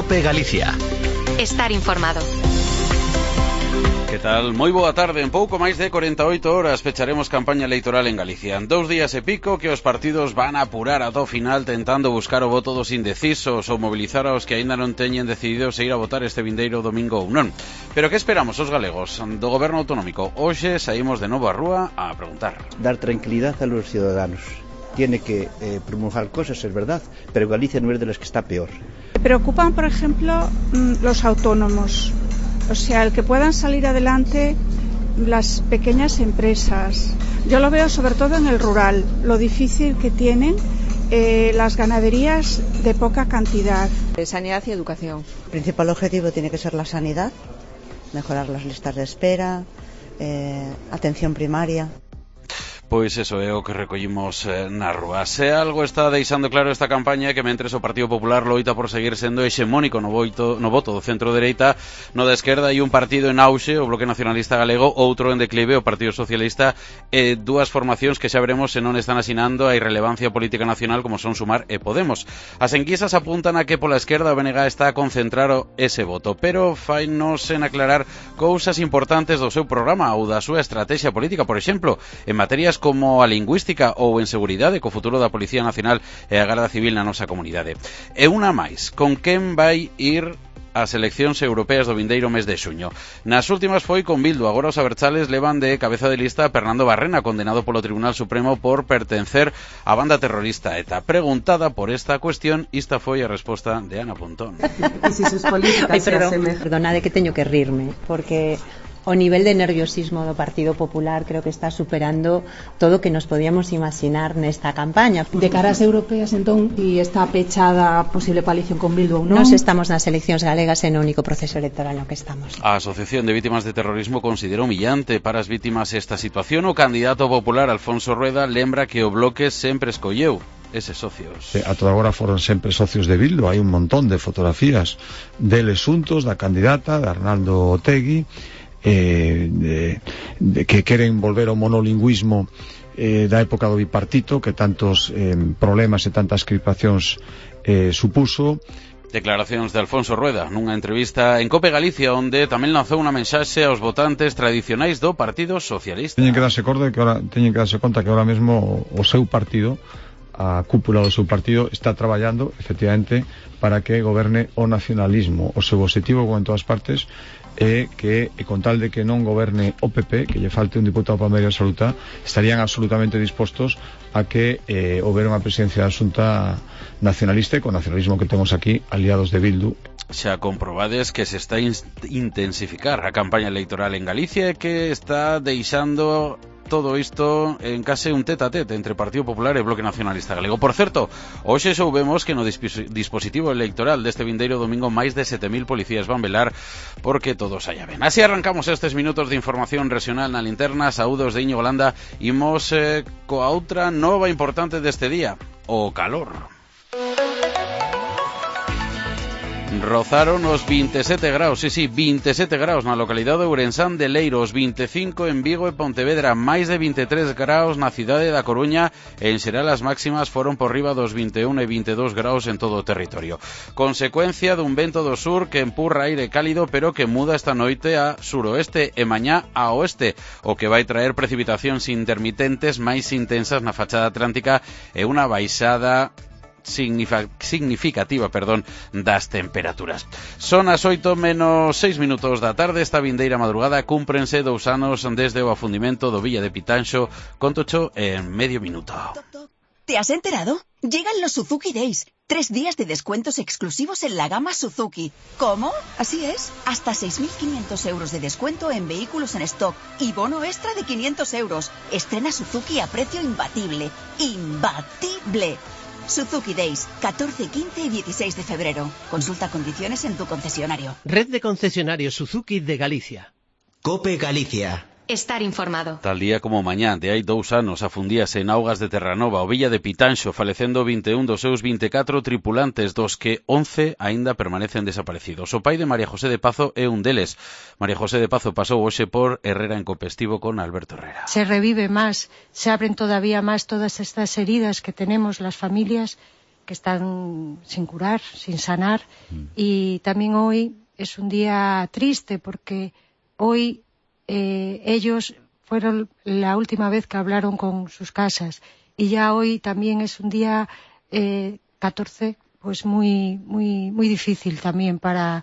COPE Galicia. Estar informado. Que tal? Moi boa tarde. En pouco máis de 48 horas fecharemos campaña electoral en Galicia. En 2 días e pico que os partidos van a apurar ata o final tentando buscar o voto dos indecisos ou mobilizar aos que aínda non teñen decidido se ir a votar este vindeiro domingo ou non. Pero que esperamos os galegos do goberno autonómico? Hoxe saímos de novo á rúa a preguntar. Dar tranquilidad a los ciudadanos. Tiene que promulgar cosas, es verdad, pero Galicia no es de las que está peor. Me preocupan, por ejemplo, los autónomos. O sea, el que puedan salir adelante las pequeñas empresas. Yo lo veo sobre todo en el rural, lo difícil que tienen las ganaderías de poca cantidad. Sanidad y educación. El principal objetivo tiene que ser la sanidad, mejorar las listas de espera, atención primaria. Pois eso é o que recollimos na rúa. Se algo está deixando claro esta campaña é que mentres o Partido Popular loita por seguir sendo hexemónico no voto do centro-dereita, no da esquerda hai un partido en auxe, o Bloque Nacionalista Galego, outro en declive, o Partido Socialista, e dúas formacións que xa veremos se non están asinando a irrelevancia política nacional como son Sumar e Podemos. As enquisas apuntan a que pola esquerda o BNG está a concentrar ese voto, pero fainos en aclarar cousas importantes do seu programa ou da súa estrategia política, por exemplo, en materias como a lingüística ou en seguridade co futuro da Policía Nacional e a Garda Civil na nosa comunidade. E unha máis, con quen vai ir as eleccións europeas do vindeiro mes de xuño? Nas últimas foi con Bildu, agora os abertzales levan de cabeza de lista a Fernando Barrena, condenado polo Tribunal Supremo por pertencer á banda terrorista ETA. Preguntada por esta cuestión, esta foi a resposta de Ana Pontón. E se sus políticas perdonade que teño que rirme, porque o nivel de nerviosismo do Partido Popular creo que está superando todo o que nos podíamos imaginar nesta campaña. De cara ás europeas, entón, e está pechada a posible coalición con Bildu ou non? Nos estamos nas eleccións galegas en o único proceso electoral no que estamos. A Asociación de Vítimas de Terrorismo considera humillante para as vítimas esta situación. O candidato popular Alfonso Rueda lembra que o Bloque sempre escolleu eses socios. A toda agora foron sempre socios de Bildu. Hai un montón de fotografías deles xuntos, da candidata, de Arnaldo Otegi, que queren volver ao monolingüismo da época do bipartito, que tantos problemas e tantas crispacións supuso. Declaracións de Alfonso Rueda nunha entrevista en COPE Galicia, onde tamén lanzou unha mensaxe aos votantes tradicionais do Partido Socialista. Teñen que darse conta que ahora mesmo o seu partido, a cúpula do seu partido, está traballando efectivamente para que goberne o nacionalismo. O seu objetivo, como en todas partes, é que, con tal de que non goberne o PP, que lle falte un diputado para a maioría absoluta, estarían absolutamente dispostos a que houbera unha presidencia da Xunta nacionalista, e con nacionalismo que temos aquí, aliados de Bildu. Xa comprobades que se está intensificar a campaña electoral en Galicia e que está deixando todo isto en case un tete-a-tete entre Partido Popular e Bloque Nacionalista Galego. Por certo, hoxe soubemos que no dispositivo electoral deste vindeiro domingo máis de 7.000 policías van velar porque todo saia ben. Así arrancamos estes minutos de información regional na linterna. Saúdos de Íñigo Landa. Imos coa outra nova importante deste día, o calor. Rozaron os 27 graus, sí, 27 graus na localidade de Ourensán de Leiro, os 25 en Vigo e Pontevedra, máis de 23 graus na cidade da Coruña, e en xeral as máximas foron por riba dos 21 e 22 graus en todo o territorio. Consecuencia dun vento do sur que empurra aire cálido, pero que muda esta noite a suroeste e mañá a oeste, o que vai traer precipitacións intermitentes máis intensas na fachada atlántica e unha baixada significativa, das temperaturas. Son as 8 menos 6 minutos da tarde. Esta vindeira madrugada cúmprense 2 anos desde o afundimento do Villa de Pitanxo. Contocho en medio minuto. ¿Te has enterado? Llegan los Suzuki Days. 3 días de descuentos exclusivos en la gama Suzuki. ¿Cómo? Así es. Hasta 6.500 euros de descuento en vehículos en stock y bono extra de 500 euros. Estrena Suzuki a precio imbatible. ¡Imbatible! Suzuki Days, 14, 15 y 16 de febrero. Consulta condiciones en tu concesionario. Red de concesionarios Suzuki de Galicia. COPE Galicia. Estar informado. Tal día como mañá de hai 2 anos afundíase en augas de Terranova o Villa de Pitanxo, falecendo 21 dos seus 24 tripulantes, dos que 11 aínda permanecen desaparecidos. O pai de María José de Pazo é un deles. María José de Pazo pasou hoxe por Herrera en Copestivo con Alberto Herrera. Se revive más, se abren todavía más todas estas heridas que tenemos las familias, que están sin curar, sin sanar. Y también hoy es un día triste porque hoy ellos fueron la última vez que hablaron con sus casas y ya hoy también es un día 14, pues muy difícil también para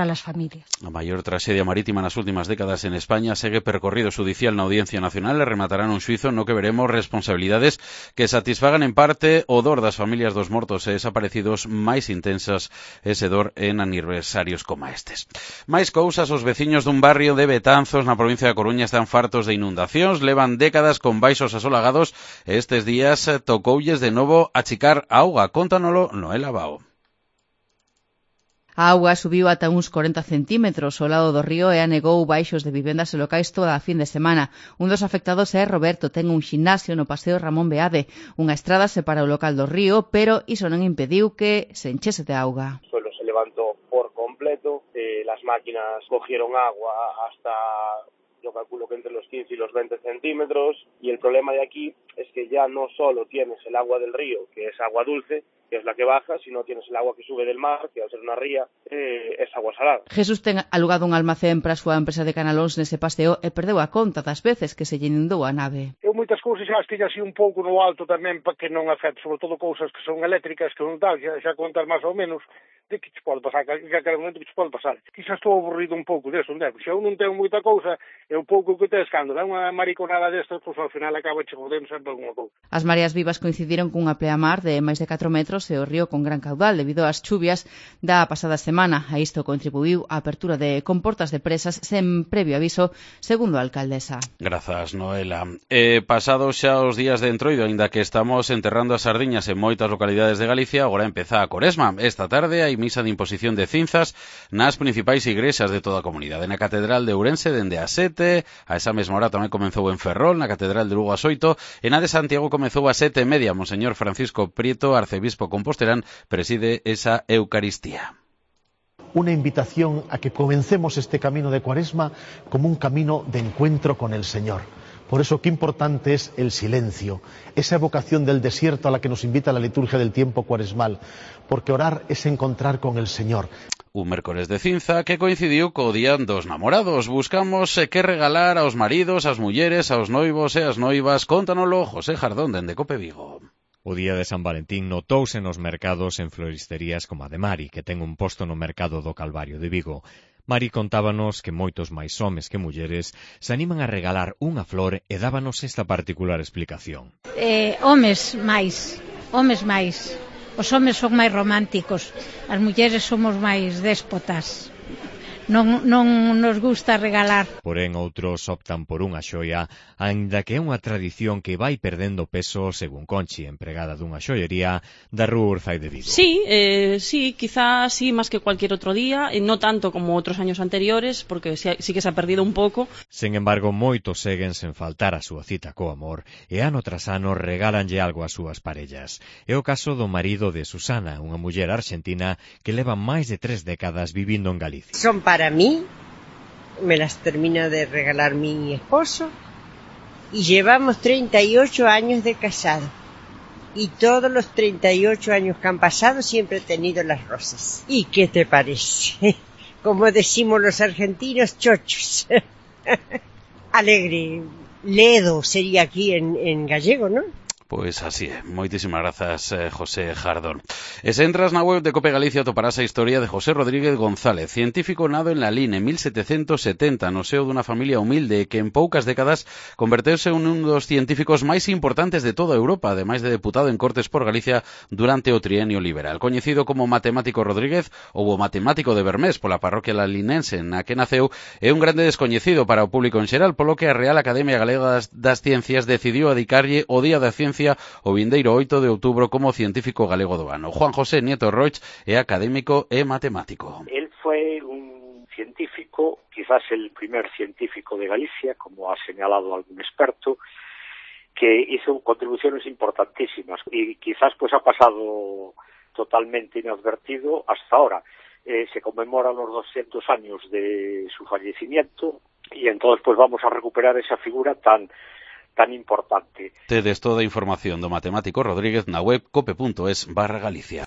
las familias. A maior traxedia marítima nas últimas décadas en España segue percorrido xudicial na Audiencia Nacional e rematarán un xuizo no que veremos responsabilidades que satisfagan en parte o dor das familias dos mortos e desaparecidos máis intensas ese dor en aniversarios como estes. Máis cousas, os veciños dun barrio de Betanzos na provincia da Coruña están fartos de inundacións, levan décadas con baixos asolagados e estes días tocoulles de novo achicar a auga. Cóntanolo Noela Bao. A auga subiu ata uns 40 centímetros ao lado do río e anegou baixos de vivendas e locais toda a fin de semana. Un dos afectados é Roberto, ten un ximnasio no paseo Ramón Beade. Unha estrada separa o local do río, pero iso non impediu que se enchese de auga. O suelo se levantó por completo, las máquinas cogieron agua hasta, yo calculo que entre los 15 y los 20 centímetros, y el problema de aquí es que ya no solo tienes el agua del río, que es agua dulce, que es la que baja, sino tienes el agua que sube del mar, que al ser una ría es agua salada. Jesús ten alugado un almacén para a súa empresa de canalóns nese paseo e perdeu a conta das veces que se lle inundou a nave. Eu moitas cousas xa as tiña así un pouco no alto tamén para que non afecte, sobre todo cousas que son eléctricas, que non tal, xa contas máis ou menos de que te pode pasar, que a cada momento que te pode pasar. Quizás estou aburrido un pouco deso, non é? Se eu non tengo moita cousa, é un pouco que te escándalo, é unha mariconada destas, pois ao final acaba chegando sempre alguna cousa. As mareas vivas coincidiron cunha pleamar de máis de 4 metros e o río con gran caudal debido ás chuvias da pasada semana. A isto contribuiu a apertura de comportas de presas sen previo aviso, segundo a alcaldesa. Grazas, Noela. Pasados xa os días de entroido, aínda que estamos enterrando as sardiñas en moitas localidades de Galicia, agora empeza a Cuaresma. Esta tarde hai misa de imposición de cinzas nas principais igrexas de toda a comunidade. Na Catedral de Ourense dende as 7, a esa mesma hora tamén comezou en Ferrol, na Catedral de Lugo as 8, e na de Santiago comezou a 7:30. Monseñor Francisco Prieto, arcebispo compostelán, preside esa Eucaristía. Una invitación a que comencemos este camino de Cuaresma como un camino de encuentro con el Señor. Por eso qué importante es el silencio, esa evocación del desierto a la que nos invita la liturgia del tiempo cuaresmal, porque orar es encontrar con el Señor. Un mércoles de cinza que coincidiu co día dos namorados. Buscamos que regalar aos maridos, ás mulleres, aos noivos e ás noivas. Cóntanolo José Jardón dende Cope Vigo. O día de San Valentín notouse nos mercados en floristerías como a de Mari, que ten un posto no mercado do Calvario de Vigo. Mari contábanos que moitos máis homes que mulleres se animan a regalar unha flor e dábanos esta particular explicación. Homes máis. Os homes son máis románticos, as mulleres somos máis déspotas. Non nos gusta regalar. Porén, outros optan por unha xoia, aínda que é unha tradición que vai perdendo peso, según Conchi, empregada dunha xoiería da Rúa Urzai de Vigo. Sí, quizás sí, más que cualquier otro día, no tanto como otros años anteriores, porque sí que se ha perdido un pouco. Sen embargo, moitos seguen sen faltar a súa cita co amor, e ano tras ano regálanlle algo ás súas parellas. É o caso do marido de Susana, unha muller arxentina que leva máis de 3 décadas vivindo en Galicia. Son para mí, me las termina de regalar mi esposo y llevamos 38 años de casado y todos los 38 años que han pasado siempre he tenido las rosas. ¿Y qué te parece? Como decimos los argentinos, chochos. Alegre, ledo sería aquí en gallego, ¿no? Pois así é. Moitísimas grazas, José Jardón. E se entras na web de Cope Galicia toparás a historia de José Rodríguez González, científico nado en Lalín en 1770, no seo dunha familia humilde que en poucas décadas converteuse en un dos científicos máis importantes de toda Europa, ademais de deputado en Cortes por Galicia durante o trienio liberal. Coñecido como Matemático Rodríguez ou o Matemático de Bermés pola parroquia lalinense na que naceu, é un grande descoñecido para o público en xeral, polo que a Real Academia Galega das Ciencias decidiu adicarlle o Día da Ciencia o vindeiro 8 de outubro como científico galego do ano. Juan José Nieto Roig é académico e matemático. Él fue un científico, quizás el primer científico de Galicia, como ha señalado algún experto, que hizo contribuciones importantísimas y quizás pues ha pasado totalmente inadvertido hasta ahora. Se conmemoran los 200 años de su fallecimiento y entonces pues vamos a recuperar esa figura tan tan importante. Tedes toda a información do matemático Rodríguez na web cope.es/Galicia.